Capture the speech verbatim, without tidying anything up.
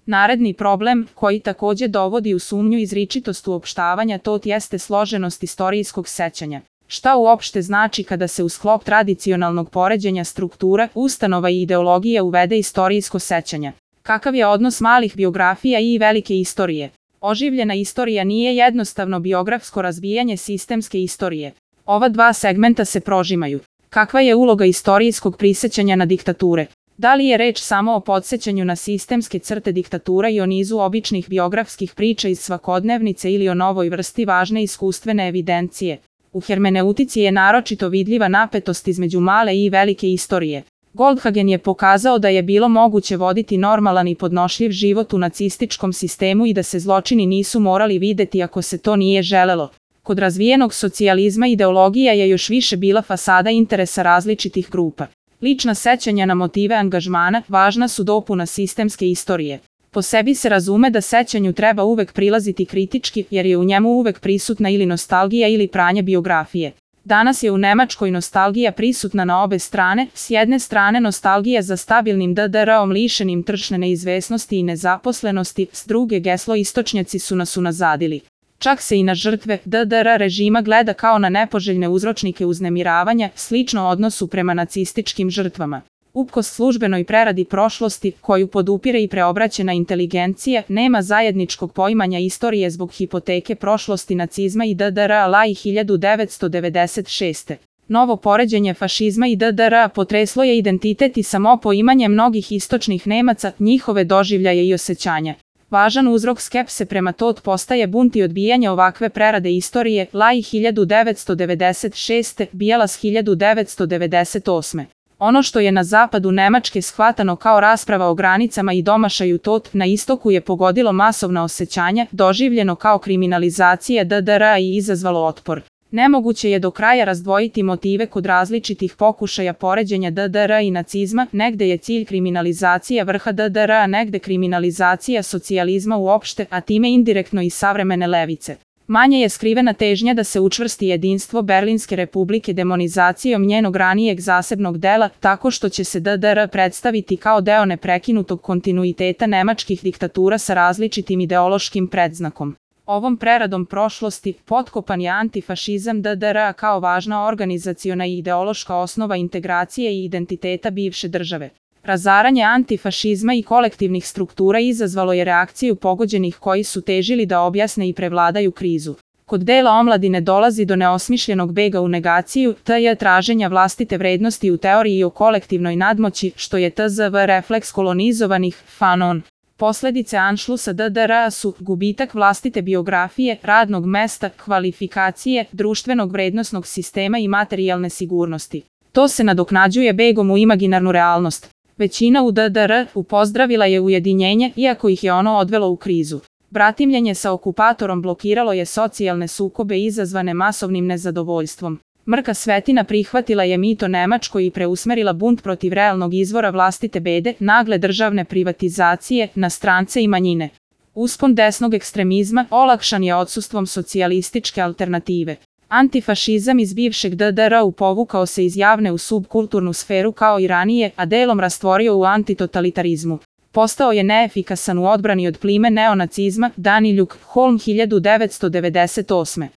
Naredni problem, koji takođe dovodi u sumnju izričitost uopštavanja, to jeste složenost istorijskog sećanja. Šta uopšte znači kada se u sklop tradicionalnog poređenja struktura, ustanova i ideologije uvede istorijsko sećanje? Kakav je odnos malih biografija i velike istorije? Oživljena istorija nije jednostavno biografsko razvijanje sistemske istorije. Ova dva segmenta se prožimaju. Kakva je uloga istorijskog prisećanja na diktature? Da li je reč samo o podsećanju na sistemske crte diktatura i o nizu običnih biografskih priča iz svakodnevnice ili o novoj vrsti važne iskustvene evidencije? U hermeneutici je naročito vidljiva napetost između male i velike istorije. Goldhagen je pokazao da je bilo moguće voditi normalan i podnošljiv život u nacističkom sistemu i da se zločini nisu morali videti ako se to nije želelo. Kod razvijenog socijalizma ideologija je još više bila fasada interesa različitih grupa. Lična sećanja na motive angažmana važna su dopuna sistemske istorije. Po sebi se razume da sećanju treba uvek prilaziti kritički, jer je u njemu uvek prisutna ili nostalgija ili pranje biografije. Danas je u Nemačkoj nostalgija prisutna na obe strane, s jedne strane nostalgija za stabilnim D D R-om lišenim tržišne neizvesnosti i nezaposlenosti, s druge geslo istočnjaci su nas unazadili. Čak se i na žrtve D D R režima gleda kao na nepoželjne uzročnike uznemiravanja, slično odnosu prema nacističkim žrtvama. Uprkos službenoj preradi prošlosti, koju podupire i preobraćena inteligencija, nema zajedničkog poimanja istorije zbog hipoteke prošlosti nacizma i D D R-a i hiljadu devetsto devedeset šeste. Novo poređenje fašizma i D D R-a potreslo je identitet i samo poimanje mnogih istočnih Nemaca, njihove doživljaje i osjećanja. Važan uzrok skepse prema tot postaje bunt i odbijanje ovakve prerade istorije, Lai hiljadu devetsto devedeset šeste, Bijelas hiljadu devetsto devedeset osme. Ono što je na zapadu Nemačke shvatano kao rasprava o granicama i domašaju tot, na istoku je pogodilo masovna osjećanja, doživljeno kao kriminalizacija D D R-a i izazvalo otpor. Nemoguće je do kraja razdvojiti motive kod različitih pokušaja poređenja D D R-a i nacizma, negde je cilj kriminalizacija vrha D D R-a, negde kriminalizacija socijalizma uopšte, a time indirektno i savremene levice. Manje je skrivena težnja da se učvrsti jedinstvo Berlinske republike demonizacijom njenog ranijeg zasebnog dela, tako što će se D D R predstaviti kao deo neprekinutog kontinuiteta nemačkih diktatura sa različitim ideološkim predznakom. Ovom preradom prošlosti potkopan je antifašizam D D R-a kao važna organizaciona i ideološka osnova integracije i identiteta bivše države. Razaranje antifašizma i kolektivnih struktura izazvalo je reakciju pogođenih koji su težili da objasne i prevladaju krizu. Kod dela omladine dolazi do neosmišljenog bega u negaciju, t j traženja vlastite vrednosti u teoriji o kolektivnoj nadmoći, što je T Z V refleks kolonizovanih, fanon. Posledice anšlusa D D R-a su gubitak vlastite biografije, radnog mesta, kvalifikacije, društvenog vrednosnog sistema i materijalne sigurnosti. To se nadoknađuje begom u imaginarnu realnost. Većina u D D R upozdravila je ujedinjenje, iako ih je ono odvelo u krizu. Bratimljenje sa okupatorom blokiralo je socijalne sukobe izazvane masovnim nezadovoljstvom. Mrka Svetina prihvatila je mito Nemačko i preusmerila bunt protiv realnog izvora vlastite bede, nagle državne privatizacije, na strance i manjine. Uspon desnog ekstremizma olakšan je odsustvom socijalističke alternative. Antifašizam iz bivšeg D D R-a povukao se iz javne u subkulturnu sferu kao i ranije, a delom rastvorio u antitotalitarizmu. Postao je neefikasan u odbrani od plime neonacizma, Daniljuk, Holm hiljadu devetsto devedeset osme.